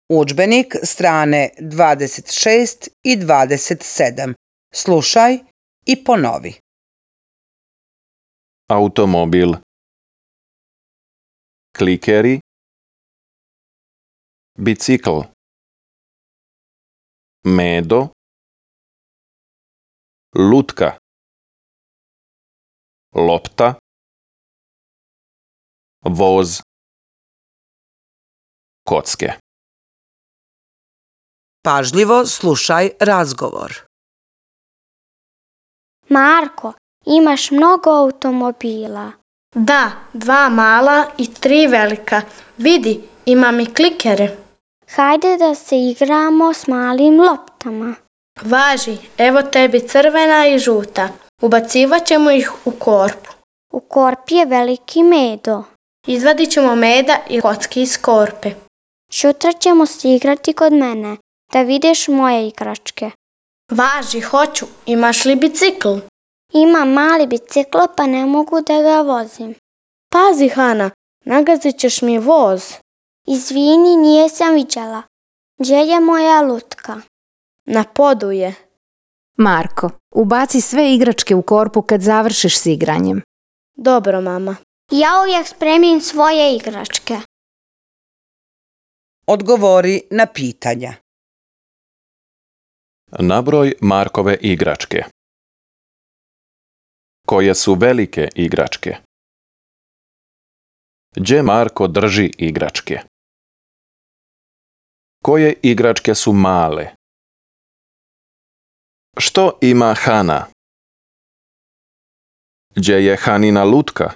Udžbenik strane 26 i 27. Slušaj i ponovi. Automobil. Klikeri. Bicikl. Medo. Lutka. Lopta. Voz. Kocke. Pažljivo slušaj razgovor. Marko, imaš mnogo automobila. Da, 2 mala i 3 velika. Vidi, imam i klikere. Hajde da se igramo s malim loptama. Važi, evo tebi crvena i žuta. Ubacivat ćemo ih u korpu. U korpi je veliki medo. Izvadit ćemo meda i kocki iz korpe. Sutra ćemo se igrati kod mene, da vidiš moje igračke. Važi, hoću. Imaš li bicikl? Imam mali bicikl pa ne mogu da ga vozim. Pazi, Hana, nagazit ćeš mi voz. Izvini, nije sam viđala. Gdje je moja lutka? Na podu je. Marko, ubaci sve igračke u korpu kad završiš s igranjem. Dobro, mama. Ja uvijek spremim svoje igračke. Odgovori na pitanja. Nabroj Markove igračke. Koje su velike igračke? Gdje Marko drži igračke? Koje igračke su male? Što ima Hana? Gdje je Hanina lutka?